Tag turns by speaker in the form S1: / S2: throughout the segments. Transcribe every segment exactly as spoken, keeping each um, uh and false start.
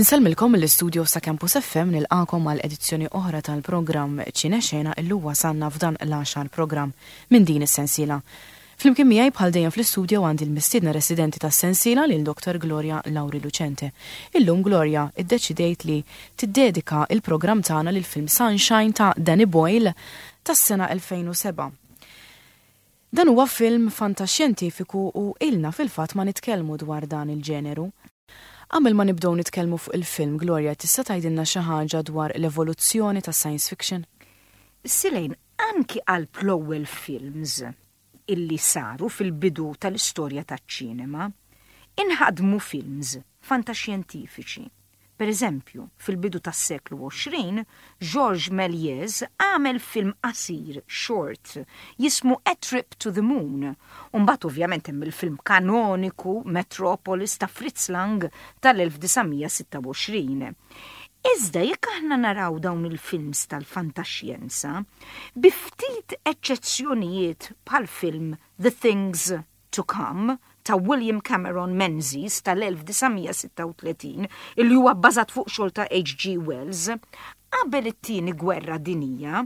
S1: Insellmilkom mill-istudio sa' Campus F M, nilqagħkom għal edizzjoni oħra tal-programm Ċinexena. Illum wasalna f'dan l-għaxar programm minn din is-sensiela. Flimkien miegħi bħal dejjem fl-istudio għandi l-mistiedna residenti tas-sensiela, lil Doktor Gloria Lauri Lucente. Illum, Gloria, iddeċidejt li tiddedika il-programm tagħna lil film Sunshine ta' Danny Boyle tas-sena elfejn u sebgħa. Dan huwa film fantaxjentifiku u ilna fil-fatt ma nitkellmu dwar dan il-ġeneru. Qabel ma nibdew nitkellmu fuq il-film, Gloria, tista' tgħidilna xi ħaġa dwar l-evoluzzjoni ta' science fiction?
S2: Silejn, anki għal l-ewwel films illi saru fil-bidu tal-istorja taċ-ċinema, inħadmu films fantaxjentifiċi. Per eżempju, fil-bidu tas-seklu għoxrin, Georges Méliès għamel film qasir, short, jismu A Trip to the Moon. Umbagħad ovvjament hemm il-film kanoniku Metropolis ta' Fritz Lang tal-elf disa' mija sitta u għoxrin. Iżda jekk aħna naraw dawn il-films tal-fantaxjenza, bi ftit eċċezzjonijiet bħal film The Things to Come ta' William Cameron Menzies tal-elf disa' mija sitta u tletin, illi huwa bbażat fuq xogħol ta' H G. Wells, qabel it-Tieni Gwerra Dinija,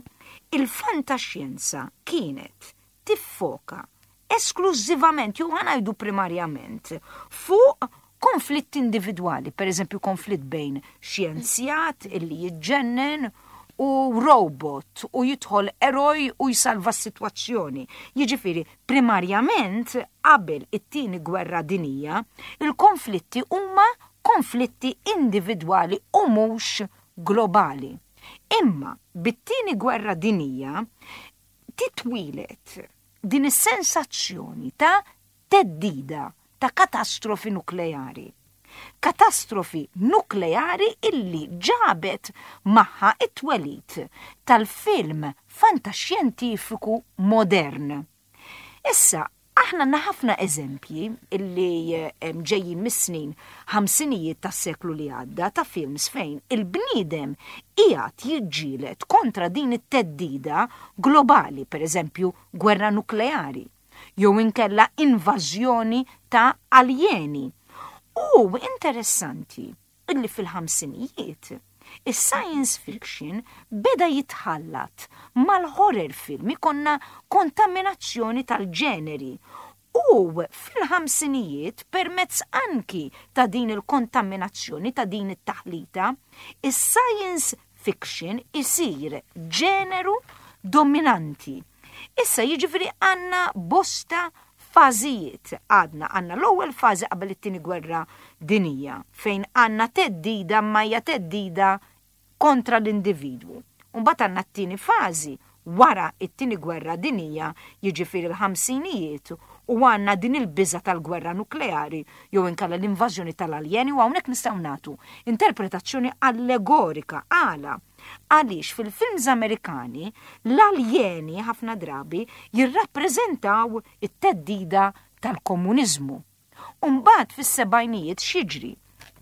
S2: il-fantaxjenza kienet tiffoka esklużivament jew ħa ngħidu primarjament fuq konflitt individwali, per eżempju konflitt bejn xjenzjat illi jiġġennen u robot u jidħol eroj u jsalva s-sitwazzjoni. Jiġifieri, primarjament qabel it-Tieni Gwerra Dinija, il-konflitti huma konflitti individwali u mhux globali. Imma bit-Tieni Gwerra Dinija titwieled din is-sensazzjoni ta' theddida ta' katastrofi nukleari. Katastrofi nukleari illi ġabet magħha it-twelid tal-film fantaxjentifiku modern. Issa, aħna għandna ħafna eżempji illi ġejjin mis-snin ħamsinijiet tas-seklu li għadda ta' films fejn il-bniedem qiegħed jiġġieled kontra din it-theddida globali, per eżempju gwerra nukleari, jew inkella invażjoni ta' aljeni. U interessanti illi fil-ħamsinijiet is-science fiction beda jitħallat mal-horror film, ikollna kontaminazzjoni tal-ġeneri. U fil-ħamsinijiet, permezz anki ta' din il-kontaminazzjoni, ta' din it-taħlita, is-science fiction isir ġeneru dominanti. Issa, jiġifieri, għandna bosta fażijiet. Għadna għandna l-ewwel fażi qabel it-Tieni Gwerra Dinija fejn għandna theddida, ma hija theddida kontra l-individwu. Mbagħad għandna t-tieni fażi wara it-Tieni Gwerra Dinija, jiġifieri l-ħamsinijiet, u għandna din il-biża tal-gwerra nukleari jew inkella l-invażjoni tal-aljeni, u hawnhekk nistgħu nagħtu interpretazzjoni allegorika. Għala? Għaliex fil-films Amerikani l-aljeni ħafna drabi jirrappreżentaw it-theddida tal-komuniżmu. Umbagħad fis-sebgħinijiet x'jiġri?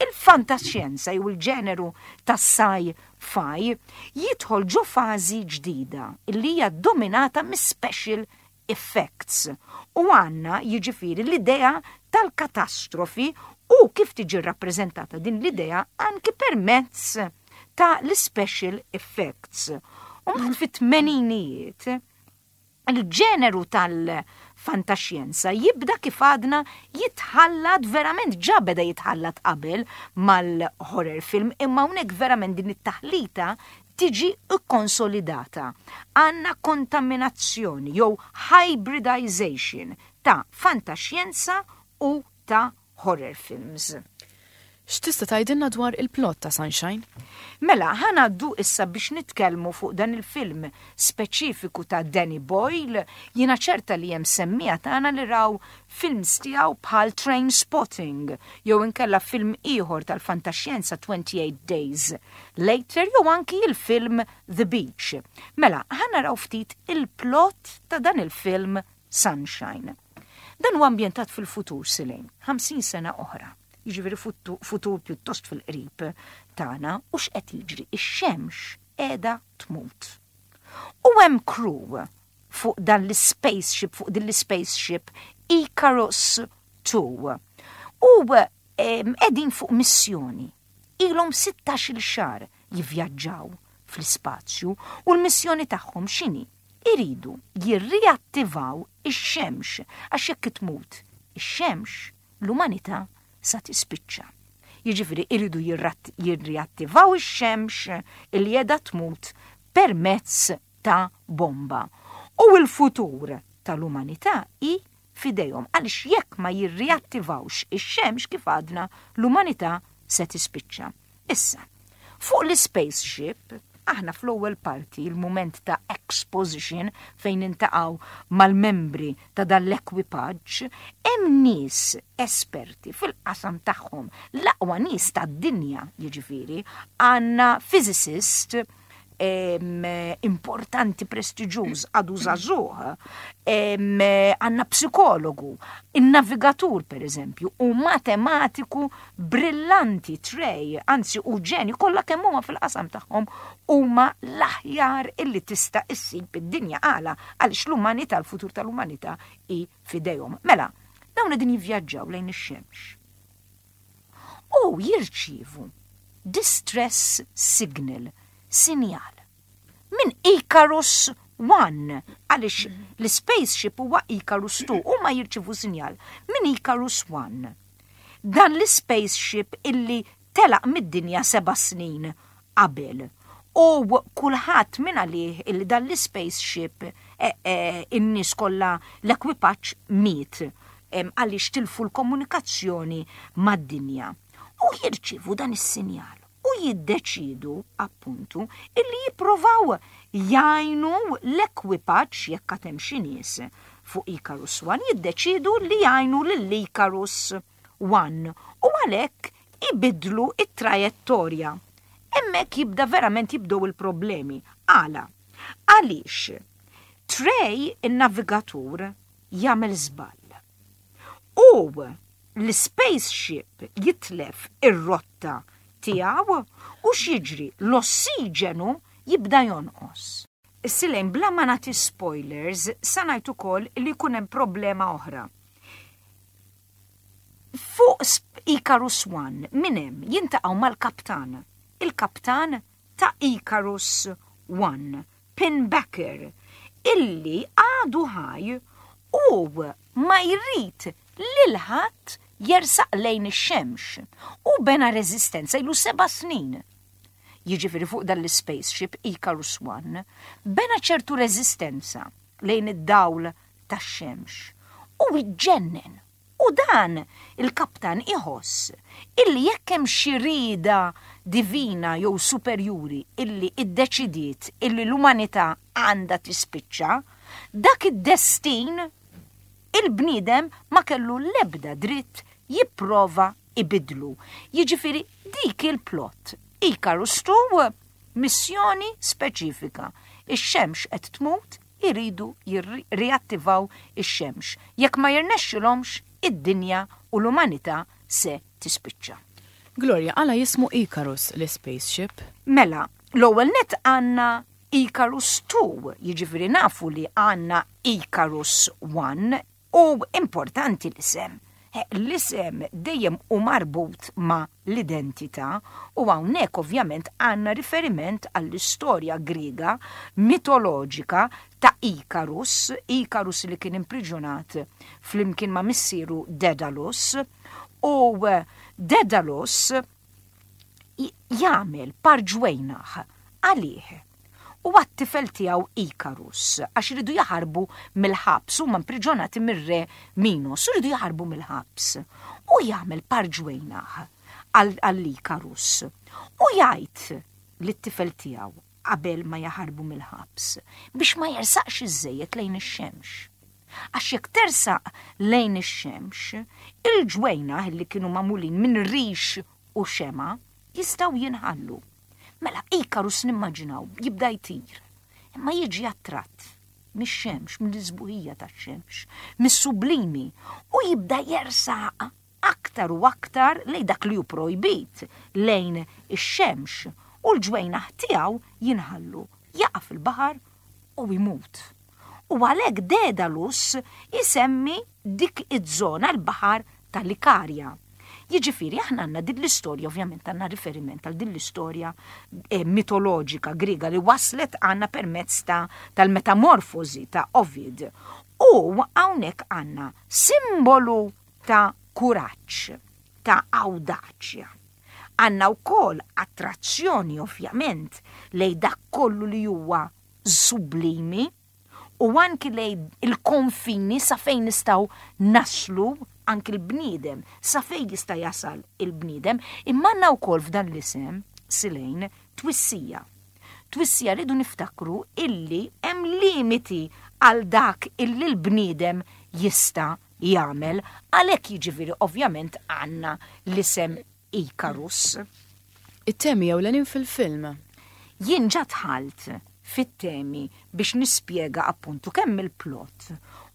S2: Il-fantaxjenza jew il-ġeneru tas-sci-fi jidħol ġo fażi ġdida illi hija dominata mis-special effects. U għandna, jiġifieri, l-idea tal-katastrofi u kif tiġi rappreżentata din l-idea anki permezz ta' l-special effects. U mbagħad fit-tmeninijiet il-ġeneru tal-fantaxjenza jibda, kif għadna, jitħallat verament, ġa beda jitħallat qabel mal-horror film, imma hawnhekk verament din it-taħlita tiġi konsolidata. Għandna kontaminazzjoni jew hybridization ta' fantaxjenza u ta' horror films.
S1: X'tista' tgħidilna dwar il-plot ta' Sunshine?
S2: Mela, ħa ngħaddu issa biex nitkellmu fuq dan il-film speċifiku ta' Danny Boyle. Jiena ċerta li hemm semmiegħa tagħna li raw films tiegħu bħal Trainspotting jew inkella film ieħor tal-fantaxjenza twenty-eight Days Later jew anki il-film The Beach. Mela, ħa naraw ftit il-plot ta' dan il-film Sunshine. Dan huwa ambjentat fil-futur, Silejn, ħamsin sena oħra, jiġifieri futur pjuttost fil-qrib tagħna, u x'qed jiġri? Ix-xemx qiegħda tmut. U hemm crew fuq dan l-spaceship, fuq din l-spaceship Icarus two. U qegħdin fuq missjoni. Ilhom sittax-il xahar jivvjaġġaw fl-ispazju u l-missjoni tagħhom x'inhi? Iridu jirriattivaw ix-xemx, għax jekk tmut ix-xemx, l-umanità sa tispiċċa. Jiġifieri iridu jirriattivaw ix-xemx li qiegħda tmut permezz ta' bomba. U l-futur tal-umanità hi f'idejhom, għaliex jekk ma jirriattivawx ix-xemx, kif għadna, l-umanità se tispiċċa. Issa, fuq l-spaceship, aħna fl-ewwel parti, il-moment ta' exposition fejn niltaqgħu mal-membri ta' dan l-ekwipaġġ, hemm nies esperti fil-qasam tagħhom, l-aqwa nies tad-dinja, jiġifieri, għandna physicist importanti, prestiġjuż, għadu żagħżugħ, għandna psikologu, il-navigatur per eżempju, u matematiku brillanti, Trey, anzi u ġeni, kollha kemm huma fil-qasam tagħhom huma l-aħjar illi tista' issib id-dinja. Għala? Għaliex l-umanità, l-futur tal-umanità hi f'idejhom. Mela, dawn qegħdin jivvjaġġaw lejn ix-xemx. U jirċievu distress signal, sinjal minn Icarus one, għaliex l-spaceship huwa Icarus two, u ma jirċievu sinjal minn Icarus one. Dan l-spaceship illi telaq mid-dinja seba' snin qabel. U kulħadd minn għalih illi dan l-spaceship e, e, in-nies kollha, l-ekwipaġġ miet għaliex tilfu l-komunikazzjoni mad-dinja. U jirċievu dan is-sinjal u jiddeċidu appuntu illi jipprovaw jgħinu l-ekwipaġġ, jekk hemm xi nies fuq Icarus one, jiddeċidu li jgħinu lil Icarus one u għalhekk ibidlu it-trajettorja. Hemmhekk jibda verament jibdew il-problemi. Għala? Għaliex Trey, il-navigatur, jagħmel żball. U l-spaceship jitlef ir-rotta tiegħu u x'jiġri? L-ossiġenu jibda jonqos. Silejn, bla ma nagħti spoilers, sa ngħid ukoll li jkun hemm problema oħra. Fuq Icarus one min hemm jiltaqgħu mal-kaptan. Il-kaptan ta' Icarus one, Pinbacker, illi għadu ħaj u ma jrid lil ħadd jersaq lejn ix-xemx u bena reżistenza, ilu seba' snin. Jiġifieri fuq dan l-spaceship Icarus one bena ċertu reżistenza lejn id-dawl tax-xemx u iġġennen. U dan il-kaptan iħoss illi jekk hemm xi rieda divina jew superjuri illi iddeċidiet illi l-umanità għandha tispiċċa, dak id-destin il-bniedem ma kellu l-ebda dritt jipprova ibidlu. Jiġifieri dik il-plot. Icarus two, missjoni speċifika. Ix-xemx qed tmut, iridu jirriattivaw ix-xemx. Jekk ma jirnexxilhomx, id-dinja u l-umanità se tispiċċa.
S1: Gloria, għala jismu Icarus l-spaceship?
S2: Mela, l-ewwel net għandna Icarus two, jiġifieri nafu li għandna Icarus one, u importanti l-isem. L-isem dejjem hu marbut ma' l-identità u hawnhekk ovvjament għandna riferiment għall-istorja Griega mitoloġika ta' Icarus, Icarus li kien impriġunat flimkien ma' missieru Dedalus, u Dedalus jagħmel par ġwejnaħ għalih u għat-tifel tiegħu Icarus, għax iridu jaħarbu mill-ħabs, huma impriġonati mir-re Minos, iridu jaħarbu mill-ħabs. U jagħmel par ġwejnaħ għall-Icarus. U jgħid lit-tifel tiegħu qabel ma jaħarbu mill-ħabs biex ma jersaqx iżejjed lejn ix-xemx. Għax jekk tersaq lejn ix-xemx, il-ġwejnaħ li kienu magħmulin minn rix u xema jistgħu jinħallu. Mela, Icarus nimmaġinaw, jibda jtir, imma jiġi attratt mix-xemx, mill-isbuħija tax-xemx, mis-sublimi, u jibda jersaq aktar u aktar lejn dak li hu projbit, lejn ix-xemx, u l-ġwejnaħ tiegħu jinħallu, jaqa' fil-baħar u jmut. U għalhekk Dedalus isemmi dik iż-żona l-baħar tal-Ikarja. Jiġifieri aħna għandna din l-istorja, ovvjament għandna riferiment għal din l-istorja eh, mitoloġika Griega li waslet għandna permezz ta' tal-metamorfosi ta' Ovid. U hawnhekk għandna simbolu ta' kuraġġ, ta' awdaċja. Għandna wkoll attrazzjoni, ovvjament, lejn dak kollu li huwa sublimi u anki lejn il-konfini, sa fejn nistgħu naslu, anki l-bniedem, sa fejn jista' jasal il-bniedem, imma għandna wkoll f'dan l-isem, Silejn, twissija. Twissija, rridu niftakru illi hemm limiti għal dak illi l-bniedem jista' jagħmel, għalhekk, jiġifieri, ovvjament għandna l-isem Icarus.
S1: It-temi ewlenin fil-film.
S2: Jien ġa dħalt fit-temi biex nispjega appuntu kemm il-plot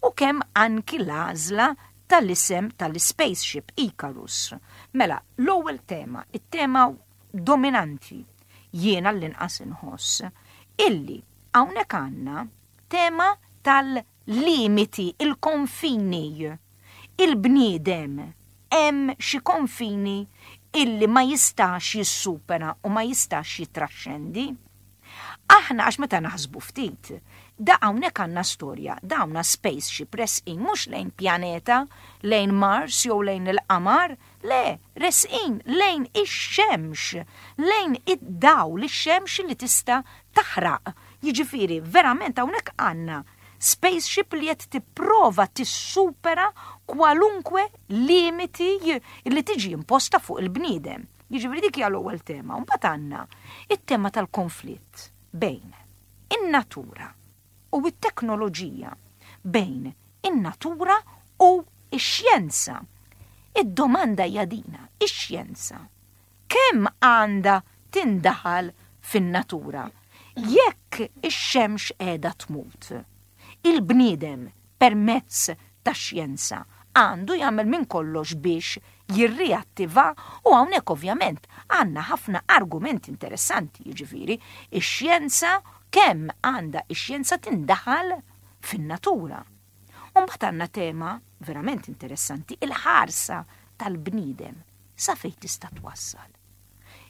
S2: u kemm anki l-għażla tal-isem tal-spaceship Icarus. Mela, l-ewwel tema, it-tema dominanti, jiena l-inqas inħoss, illi hawnhekk għandna tema tal-limiti, il-konfini. Il-bniedem hemm xi konfini illi ma jistax jissupera u ma jistax jitraxxendi. Aħna, għax meta naħsbu ftit, da hawnhekk għandna storja, dawna spaceship resqin mhux lejn pjaneta, lejn Mars jew lejn il-qamar, le, resqin lejn ix-xemx, lejn id-dawl, ix-xemx li tista' taħraq. Jiġifieri, verament hawnhekk għandna spaceship li qed tipprova tissupera kwalunkwe limiti li tiġi imposta fuq il-bniedem. Jiġifieri dik hija l-ewwel tema. Mbagħad għandna it-tema tal-konflitt bejn in-natura u t-teknoloġija, bejn in-natura u x-xjenza. Id-domanda hija dina: ix-xjenza kemm għandha tindaħal fin-natura? Jekk ix-xemx qiegħda tmut, il-bniedem permezz tax-xjenza għandu jagħmel minn kollox biex jirriattiva? U hawnhekk ovvjament għandna ħafna argumenti interessanti, jiġifieri ix-xjenza, kemm għandha ix-xjenza tindaħal fin-natura. U mbagħad għandna tema verament interessanti, il-ħarsa tal-bniedem sa fejn tista' twassal.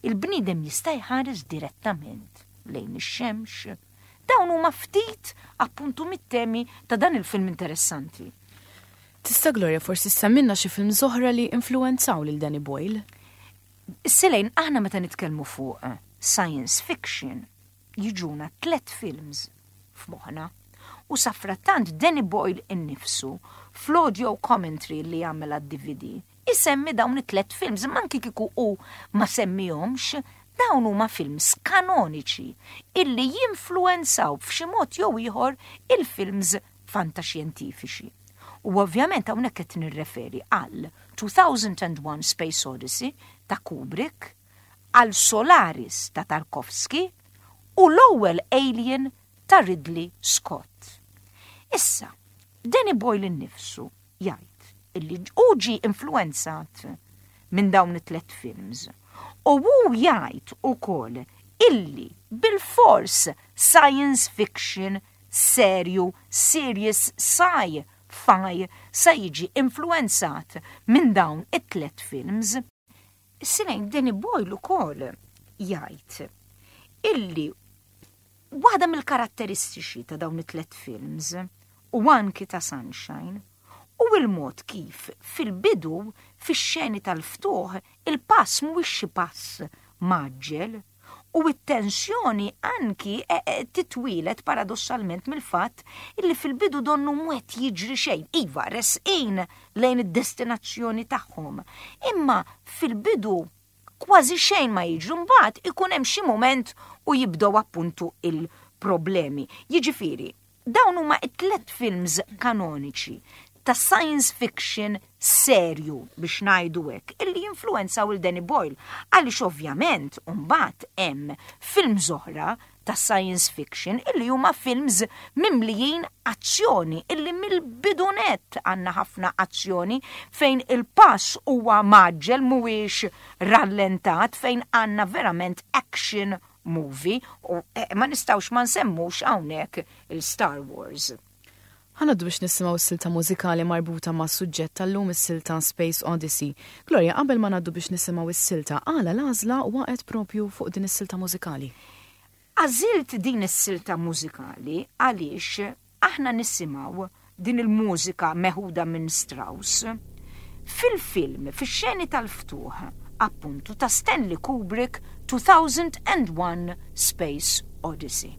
S2: Il-bniedem jista' jħares direttament lejn ix-xemx? Dawn huma ftit appuntu mit-temi ta' dan il-film interessanti.
S1: Tista', Gloria, forsi ssemmilna xi film oħra li influenzaw lil Danny Boyle?
S2: Silejn, aħna meta nitkellmu fuq science fiction, jiġuna tlet films f'moħħna. U safrattant Danny Boyle innifsu fl-audio commentary li jagħmel għad-D V D isemmi dawn it-tlet films, anki kieku u ma semmihomx, dawn huma films kanoniċi illi jinfluenzaw f'xi mod jew ieħor il-films fantaxjentifiċi. U ovvjament hawnhekk qed nirreferi għal two thousand and one Space Odyssey ta' Kubrick, għal Solaris ta' Tarkovsky u l-ewwel Alien ta' Ridley Scott. Issa, Danny Boyle innifsu jgħid illi hu ġie influenzat minn dawn it-tlet films. U hu jgħid ukoll illi bil-fors science fiction serju, serious sci-fi, sa jiġi influenzat minn dawn it-tlet films. Silejn, Danny Boyle ukoll jgħid illi waħda mill-karatteristiċi ta' dawn it-tlet films u anki ta' Sunshine u il-mod kif fil-bidu, fix-xeni tal-ftuħ, il-pass mhuwiex xi pass mgħaġġel u it-tensjoni anki e, e, titwieled paradossalment mill-fatt illi fil-bidu donnu mhu jiġri xejn. Iva, resqin lejn id-destinazzjoni tagħhom. Imma fil-bidu kważi xejn ma jiġru, mbagħad ikun hemm xi moment u jibdew appuntu il-problemi. Jiġifieri, dawn huma it-tlet films kanoniċi ta' science fiction serju, biex ngħidu hekk, illi influenzaw il Danny Boyle, għaliex ovvjament mbagħad hemm films oħra ta' science fiction illi huma films mimlijin azzjoni, illi mill-bidu nett għandna ħafna azzjoni, fejn il-pass huwa mgħaġġel, mhuwiex rallentat, fejn għandna verament action movie u eh, ma nistgħux ma nsemmux hawnhekk il-Star Wars.
S1: Ħa ngħaddu biex nisimgħu s-silta mużikali marbuta ma' suġġett tal-lum, is-silta Space Odyssey. Gloria, qabel ma ngħaddu biex nisimgħu s-silta, għala l-għażla waqgħet propju fuq din is-silta mużikali?
S2: Għażilt din is-silta mużikali għaliex aħna nisimgħu din il-mużika meħuda minn Strauss fil-film, fix-xeni tal-ftuħ, appuntu ta' Stanley Kubrick, two thousand and one Space Odyssey.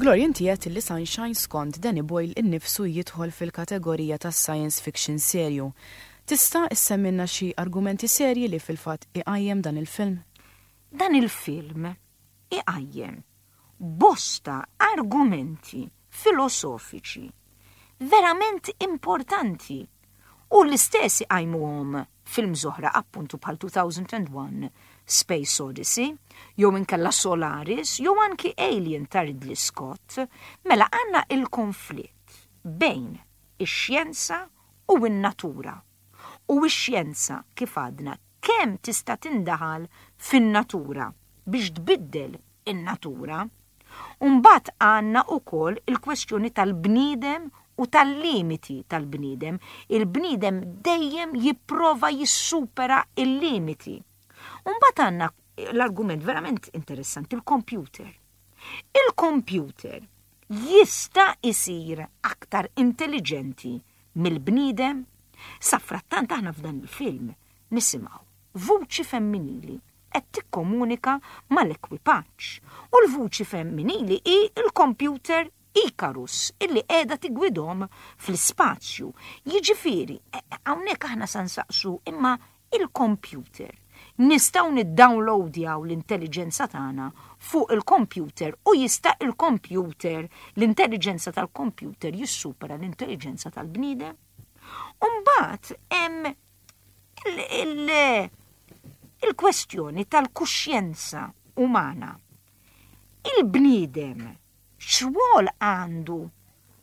S1: Gloria, inti għedt li Sunshine skont Danny Boyle innifsu jidħol fil-kategorija ta' science fiction serju. Tista' issemmilna xi argumenti serji li fil-fatt iqajjem dan il-film?
S2: Dan il-film iqajjem bosta argumenti filosofiċi verament importanti u l-istess iqajmuhom films oħra, appuntu bħal two thousand and one Space Odyssey, jew inkella Solaris, jew anki Alien ta' Ridley Scott. Mela għandna il-konflitt bejn ix-xjenza u n-natura. U x-xjenza, kif għadna, kemm tista' tindaħal fin-natura biex tbiddel in-natura. Umbagħad għandna ukoll il-kwestjoni tal-bniedem u tal-limiti tal-bniedem. Il-bniedem dejjem jipprova jissupera il-limiti. Umbagħad għandna l-argument verament interessanti, il-computer. Il-computer jista' isir aktar intelligenti mill-bniedem? Safrattant aħna f'dan il-film nisimgħu vuċi femminili qed tikkomunika mal-ekwipaġġ. U l-vuċi femminili hi il-computer Icarus illi qiegħda tigwidhom fl-ispazju. Jiġifieri, e, e, hawnhekk aħna sa nsaqsu, imma il-computer nistgħu niddownloadjaw l-intelligenza tagħna fuq il-computer u jista' il-computer, l-intelligenza tal-computer jissupera l-intelligenza tal-bniedem? Umbagħad hemm il-kwestjoni tal-kuxjenza umana. Il-bniedem x'rwol għandu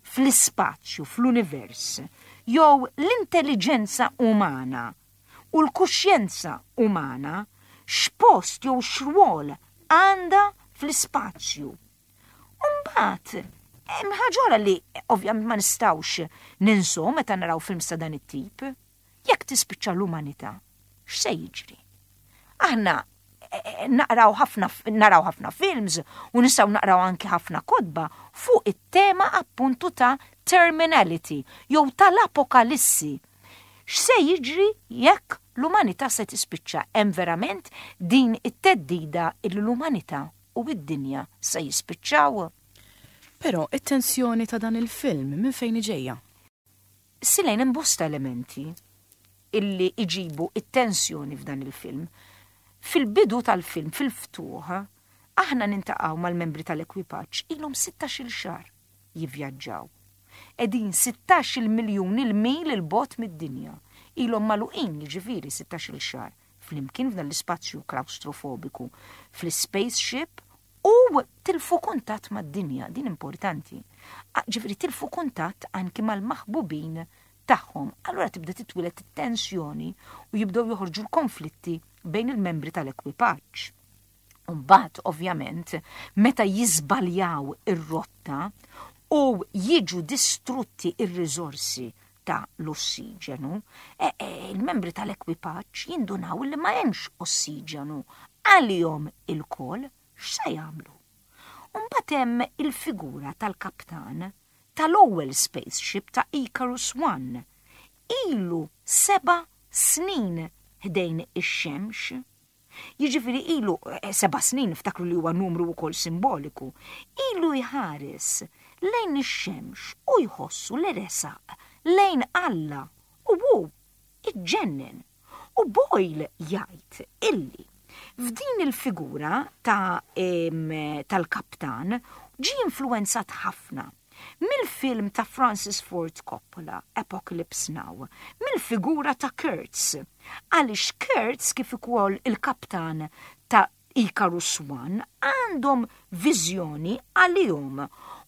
S2: fl-ispazju, fl-univers, jew l-intelligenza umana u l-kuxjenza umana x'post jew x'rwol għandha fl-ispazju? Umbagħad, hemm ħaġa li ovvjament ma nistgħux ninsu meta naraw film ta' dan it-tip. Jekk tispiċċa l-umanità, x'se jiġri? Aħna eh, eh, naqraw ħafna, naraw ħafna films u nistgħu naqraw anki ħafna kotba fuq it-tema appuntu ta' terminality jew tal-apokalissi. X'se jiġri jekk l-umanità se tispiċċa? Hemm verament din it-theddida il l-umanità u id-dinja se jispiċċaw?
S1: Però it-tensjoni ta' dan il-film minn fejn ġejja?
S2: Silejn, hemm bosta elementi illi iġibu it-tensjoni f'dan il-film. Fil-bidu tal-film, fil-ftuħ, aħna niltaqgħu mal-membri tal-ekwipaġġ, ilhom sittax-il xahar jivvjaġġaw. Qegħdin sittax-il miljun il-mil 'il bogħod mid-dinja. Ilhom magħluqin, jiġifieri, sittax-il xahar flimkien f'dan l-ispazju klaustrofobiku fl-spaceship u tilfu Tilfu kuntatt mad-dinja, din importanti. Ġifieri tilfu kuntatt anki mal-maħbubin tagħhom. Allura tibda titwieled it-tensjoni u jibdew joħorġu l-konflitti bejn il-membri tal-ekwipaġġ. Mbagħad, ovvjament, meta jiżbaljaw ir-rotta u jiġu distrutti ir-riżorsi ta' l-ossiġenu, e, e, il-membri tal-ekwipaġġ jindunaw li ma hemmx ossiġenu għalihom ilkoll, x'se jagħmlu? Mbagħad hemm il-figura tal-kaptan tal-ewwel spaceship ta' Icarus One. Ilu seba' snin ħdejn ix-xemx. Jiġifieri ilu eh, seba' snin, ftakru li huwa numru wkoll simboliku. Ilu jħares lejn ix-xemx u jħossu li resaq lejn Alla u hu iġġennen. U Boyle jgħid illi f'din il-figura ta' tal-kaptan ġi influenzat ħafna mill-film ta' Francis Ford Coppola, Apocalypse Now, mill-figura ta' Kurtz. Għaliex Kurtz, kif ukoll il-kaptan ta' Icarus One, għandhom viżjoni għalihom.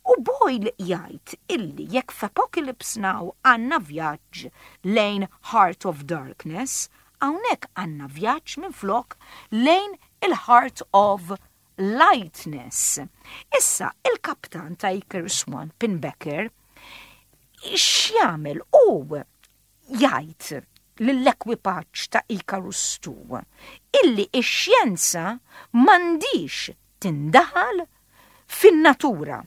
S2: U Boyle jgħid illi jekk f'Apocalypse Now għandna vjaġġ lejn Heart of Darkness, hawnhekk għandna vjaġġ minn flok lejn il-Heart of Lightness. Issa, il-kaptan ta' Icarus One, Pinbacker, x'jagħmel? U jgħid lill-ekwipaġġ ta' Icarus Two illi ix-xjenza m'għandix tindaħal fin-natura.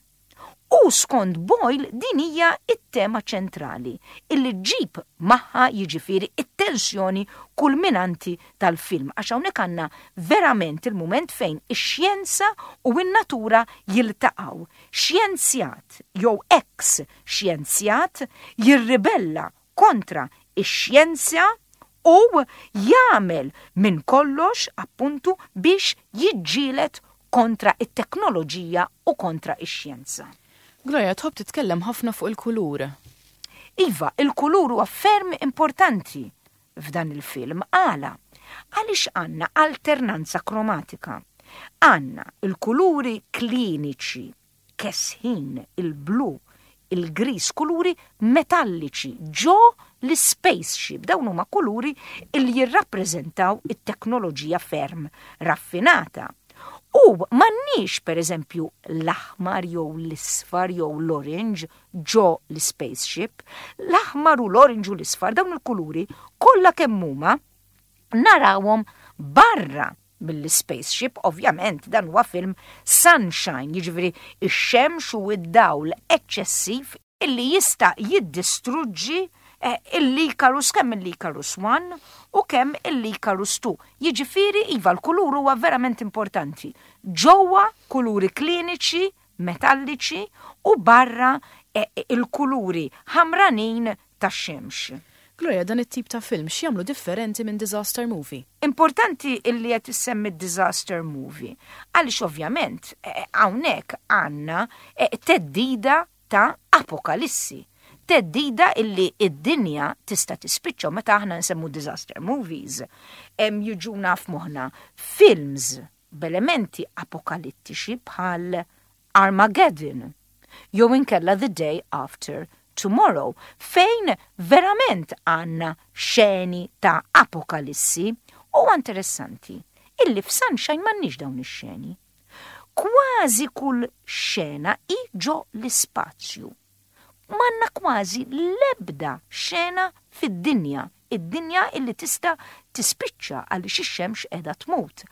S2: U skont Boyle din hija it-tema ċentrali illi ġġib magħha, jiġifieri, it-tensjoni kulminanti tal-film, għax hawnhekk għandna verament il-mument fejn ix-xjenza u n-natura jiltaqgħu. Xjenzjat jew ex xjenzjat jirribella kontra ix-xjenza u jagħmel minn kollox appuntu biex jiġġieled kontra it-teknoloġija u kontra ix-xjenza.
S1: Gloria, tħobb titkellem ħafna fuq il-kulur.
S2: Iva, il-kulur huwa ferm importanti f'dan il-film. Għala? Għaliex għandna alternanza kromatika. Għandna il-kuluri kliniċi, kesħin, il-blu, il-gris, kuluri metalliċi ġo l-spaceship. Dawn huma kuluri il jirrappreżentaw it-teknoloġija ferm raffinata. U m'għandniex, per eżempju, l-aħmar jew l-isfar jew l-orange ġo l-spaceship. L-aħmar u l-orange u l-isfar, dawn il-kuluri kollha kemm huma narawhom barra mill-spaceship. Ovvjament dan huwa film sunshine, jiġifieri ix-xemx u id-dawl eċċessiv illi jista' jiddistruġġi eh, il-Icarus, kemm il-Icarus One u kemm il-Icarus Two. Jiġifieri iva, l-kulur huwa verament importanti. Ġewwa kuluri kliniċi, metalliċi u barra eh, il-kuluri ħamranin tax-xemx.
S1: Gloria, dan it-tip ta' film x'jagħmlu differenti minn disaster movie?
S2: Importanti illi qed issemmi disaster movie, għaliex ovvjament eh, hawnhekk għandna eh, theddida ta' apokalissi. Theddida illi id-dinja tista' tispiċċa. Meta aħna nsemmu disaster movies, hemm jiġuna f'moħħna films b'elementi apokalittiċi bħal Armageddon jew inkella The Day After Tomorrow, fejn verament għandna xeni ta' apokalissi. U interessanti illi f'Sunshine m'għandniex dawn ix-xeni. Kważi kull xena hi ġo l-ispazju. M'għandna kważi lebda xena fid-dinja, id-dinja illi tista' tispiċċa għaliex ix-xemx qiegħda tmut.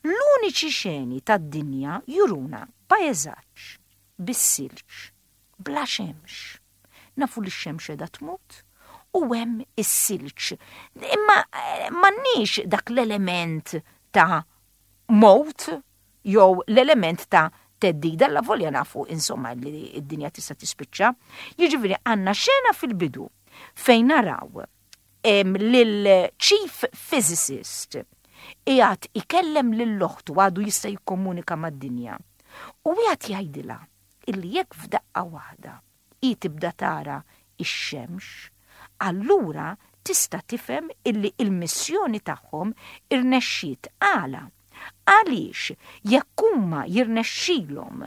S2: L-uniċi xeni tad-dinja juruna pajjeżaġġ bis-silġ, bla xemx. Nafu li x-xemx qiegħda tmut u hemm is-silġ. Imma eh, m'għandniex dak l-element ta' mowt jew l-element ta' theddida, la volja nafu insomma li id-dinja tista' tispiċċa. Jiġifieri għandna xena fil-bidu fejn naraw lil-chief physicist qiegħed ikellem lil oħtu, għadu jista' jikkomunika mad-dinja. U qiegħed jgħidilha illi jekk f'daqqa waħda i tibda tara ix-xemx, allura tista' tifhem illi il-missjoni tagħhom irnexxiet. Għala? Għaliex jekk huma jirnexxilhom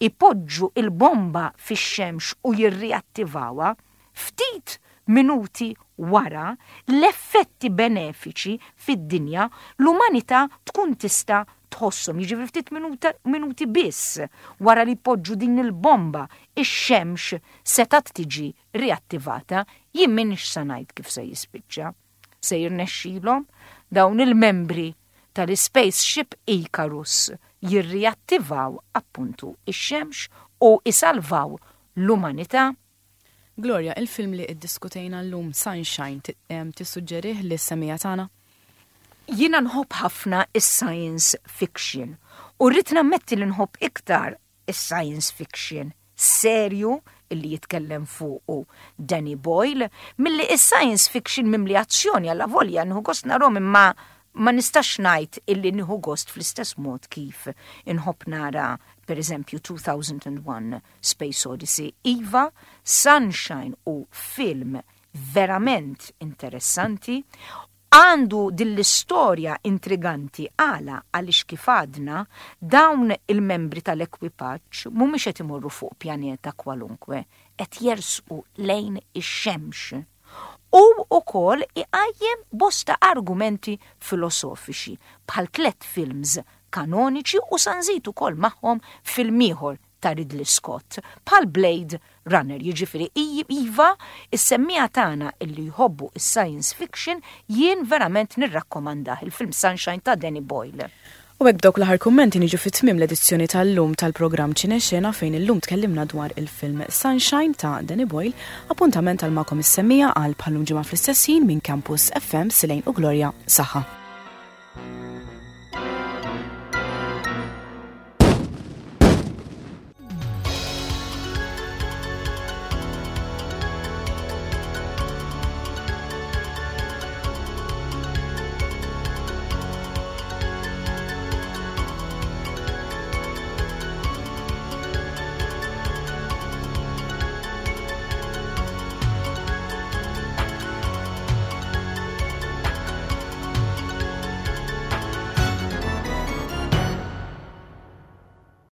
S2: ipoġġu il-bomba fix-xemx u jirriattivawha, ftit minuti wara l-effetti benefiċi fid-dinja l-umanità tkun tista' tħosshom. Jiġifieri ftit minuta, minuti biss wara li poġġu din il-bomba, ix-xemx setgħet tiġi riattivata. Jien m'iniex sa ngħid kif se jispiċċa. Se jirnexxilhom dawn il-membri tal-Spaceship Icarus jirriattivaw appuntu ix-xemx u isalvaw l-umanità?
S1: Gloria, il-film li iddiskutejna llum, Sunshine, tissuġġerih lis-semmiegħa tagħna?
S2: Jiena nħobb ħafna is-science fiction u rrid nammetti li nħobb iktar is-science fiction serju illi jitkellem fuqu Danny Boyle milli is-science fiction mimli azzjoni, alla volja nieħu gost narahom, imma ma nistax ngħid illi nieħu gost fl-istess mod kif inħobb nara, per eżempju, two thousand and one Space Odyssey. Iva, Sunshine hu film verament interessanti, għandu din l-istorja intriganti. Għala? Għaliex kif għadna, dawn il-membri tal-ekwipaġġ mhumiex qed imorru fuq pjaneta kwalunkwe, qed jersqu lejn ix-xemx. U ukoll iqajjem bosta argumenti filosofiċi bħal tlet films kanoniċi u sa nżid ukoll magħhom film ieħor ta' Ridley Scott bħal Blade Runner. Jiġifieri iva, is-semmiegħa tagħna illi jħobbu is-science fiction, jien verament nirrakkomandah il-film Sunshine ta' Danny Boyle.
S1: U hekk, b'dawk l-aħħar kummenti, niġu fit-tmiem l-edizzjoni tal-lum tal-programm Ċinexena, fejn illum tkellimna dwar il-film Sunshine ta' Danny Boyle. Appuntament għal magħkom is-semmiegħa għal bħal-lum ġimgħa fl-istess ħin minn Campus F M, Silejn u Gloria. Saħħa.